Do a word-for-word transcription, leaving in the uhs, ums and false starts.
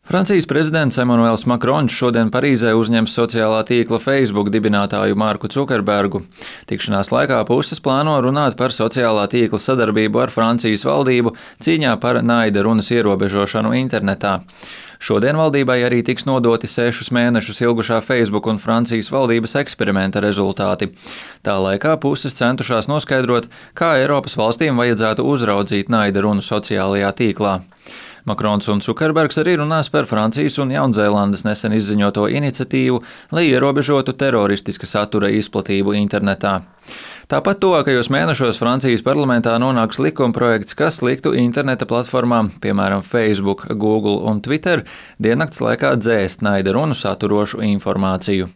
Francijas prezidents Emmanuels Makrons šodien Parīzē uzņems sociālā tīkla Facebook dibinātāju Marku Cukerbergu. Tikšanās laikā puses plāno runāt par sociālā tīkla sadarbību ar Francijas valdību cīņā par naida runas ierobežošanu internetā. Šodien valdībai arī tiks nodoti sešus mēnešus ilgušā Facebook un Francijas valdības eksperimenta rezultāti. Tā laikā puses centušās noskaidrot, kā Eiropas valstīm vajadzētu uzraudzīt naida runu sociālajā tīklā. Makrons un Cukerbergs arī runās par Francijas un Jaunzēlandes nesen izziņoto iniciatīvu, lai ierobežotu teroristiska satura izplatību internetā. Tāpat tuvākajos mēnešos Francijas parlamentā nonāks likumprojekts, kas liktu interneta platformām, piemēram, Facebook, Google un Twitter, diennakts laikā dzēst naida runu saturošu informāciju.